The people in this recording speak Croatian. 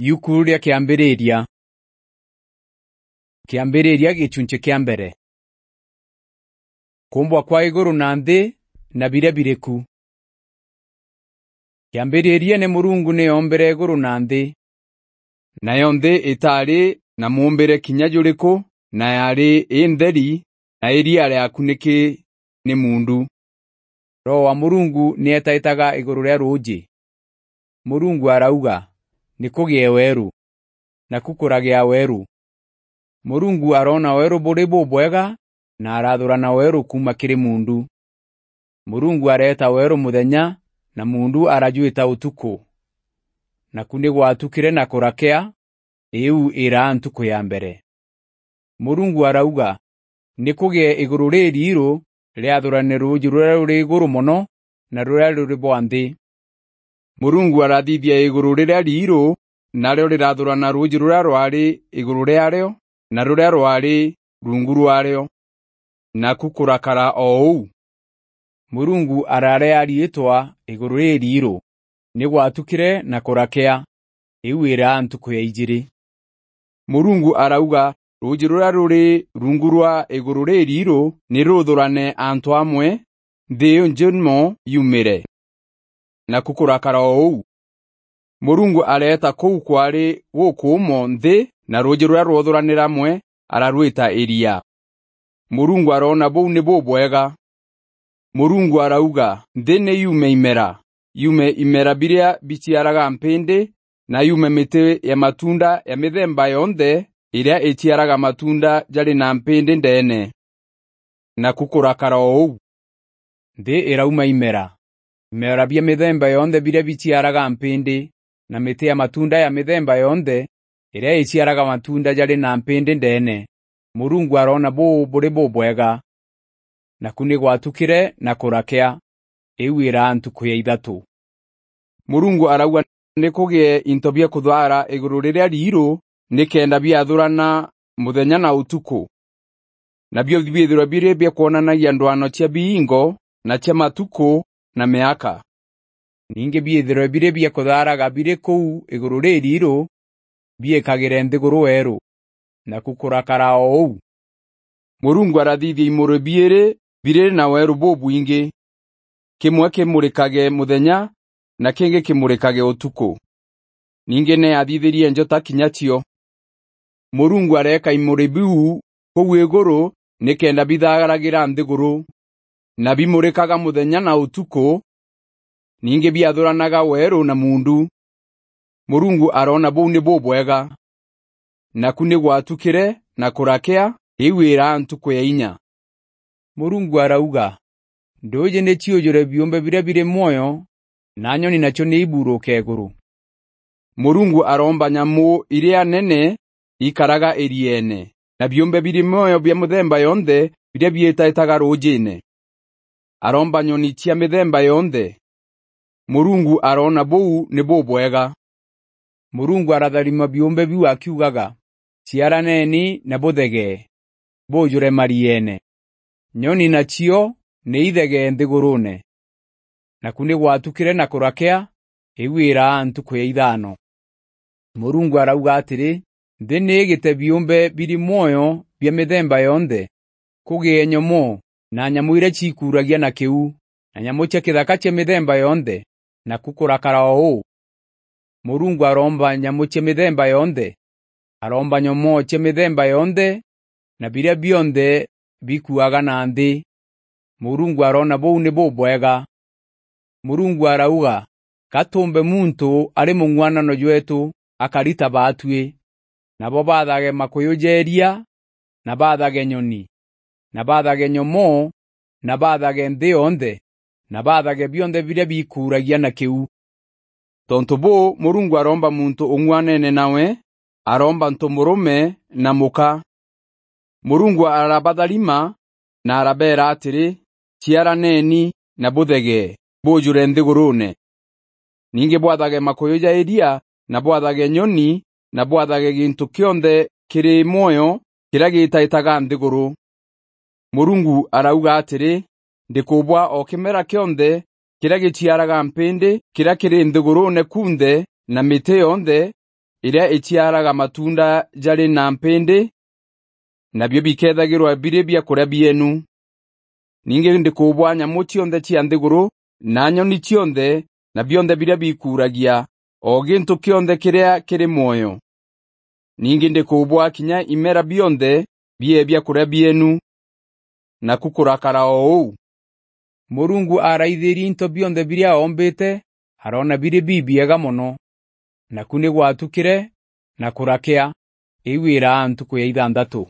Yukuru rya kiambiriria. Kiambiriria gicunche kia mbere. Kumbwa kwa iguru na nthi na biria biriku. Kiambiriria ni Murungu ni ombere iguru na nthi. Nayo nthi itari na muombere kinya juriku na yari indheri na iria ryakuniki ni mundu. Roho wa Murungu ni etaitaga iguru ria ruji. Murungu arauga nikugie weru na kukuragia weru. Murungu arona weru buri bubwega na arathurana weru kuma kiri mundu. Murungu areta weru muthenya na mundu arajuita utuku. Na kundi gwatukire na kurakea iu ira ntuku ya mbere. Murungu arauga nikugie iguru ririru riathurane ruji ruria ruri iguru muno na ruria ruri bwanthi. Murungu arathithia iguru riria riru naryo rirathurana ruji ruria rwari iguru riaryo na ruria rwari rungu rwaryo na kukurakara ou. Murungu ararea riitwa iguru ririru ni gwatukire na kurakea iu ira ntuku ya ijiri. Murungu arauga ruji ruria ruri rungu rwa iguru ririru ni ruthurane antu amwe nthi njimo yumire na kukurakara ou. Murungu areta kou kwari gukumo nthi na ruji ruria rwothuranira amwe ararwita iria. Murungu arona bou ni bubwega. Murungu arauga nthi ni yume imera biria biciaraga mpindi na yume miti ya matunda ya mithemba yonthe iria iciaraga matunda jari na mpindi ndene na kukurakara ou. Nthi irauma imera bia mithemba yonthe biria biciaraga mpindi na miti ya matunda ya mithemba yonthe iria iciaraga matunda jari na mpindi ndene. Murungu arona buri bubwega na kuni gwatukire na kurakea iu ira ntuku ya ithatu. Murungu arauga nikugie into bia kuthara iguru riria riru nikenda biathurana muthenya na utuku. Na bio biithirwa biri bia kuonanagia ndwano cia biingo na cia matuku na miaka. Ninge biithirwa biri bia kutharaga biri kou iguru ririru biekagire nthiguru weru na kukurakara ou. Murungu arathithia imuru biri na weru bubwingi. Kimwe kimurikage muthenya na kingi kimurikage utuku. Ninge ne athithirie njota kinyatio. Murungu areka imuri biu kou iguru nikenda bithagaragira nthiguru na bimurikaga muthenya na utuku. Ninge biathuranaga weru na mundu. Murungu arona bou ni bubwega na kuni gwatukire na kurakea iu ira ntuku ya inya. Murungu arauga ndoje ne ciojore biumbe biria biri moyo na nyoni nacio ni iburuke iguru. Murungu aromba nyamu iria nene ikaraga iriene na biumbe biri moyo bia muthemba yonthe biria bietaitaga rujine. Aromba nyoni cia mithemba yonthe. Murungu arona bou ni bubwega. Murungu aratharima biumbe biu akiugaga ciaraneni na buthege bujure mariene. Nyoni nacio ni ithege nthigurune na kuni gwatukire na kurakea iu ira ntuku ya ithano. Murungu arauga atiri nthi ni igite biumbe biri moyo bia mithemba yonthe kugie nyomo na nyamu iria cikuragia na kiu na nyamu cia kithaka cia mithemba yonthe na kukurakara ou. Murungu aromba nyamu cia mithemba yonthe. Aromba nyomo cia mithemba yonthe na biria bionthe bikuaga na nthi. Murungu arona bou ni bubwega. Murungu arauga katumbe muntu ari mungwanano jwetu akarita batwi nabo bathage makuyujeria na bathage nyoni na bathage nyomo na bathage nthi yonthe na bathage bionthe biria bikuragia na kiu. Tontu bo Murungu aromba muntu ungwanene nawe aromba ntumurume na muka. Murungu arabatharima na arabera atiri ciaraneni na buthege bujure nthigurune. Ninge bwathage makuyuja iria na bwathage nyoni na bwathage gintu kionthe kiri moyo kiria gitaitaga nthiguru. Murungu arauga atiri ndikubwa o kimera kionthe kiria giciaraga mpindi kiria kiri nthigurune kunthe na miti yonthe iria iciaraga matunda jari na mpindi, nabyo bikethagirwa biri bya kuria bienu. Ninge ndikubwa nyamu cionthe cia nthiguru na nyoni cionthe na bionthe biria bikuragia, o gintu kionthe kiria kiri muoyo. Ninge ndikubwa kinya imera bionthe bie bya kuria bienu, na kukurakara ou. Murungu araithirie into bionthe biria ombite, arona biri bibiega muno, na kuni gwatukire na kurakia iwira ntuku ya 6.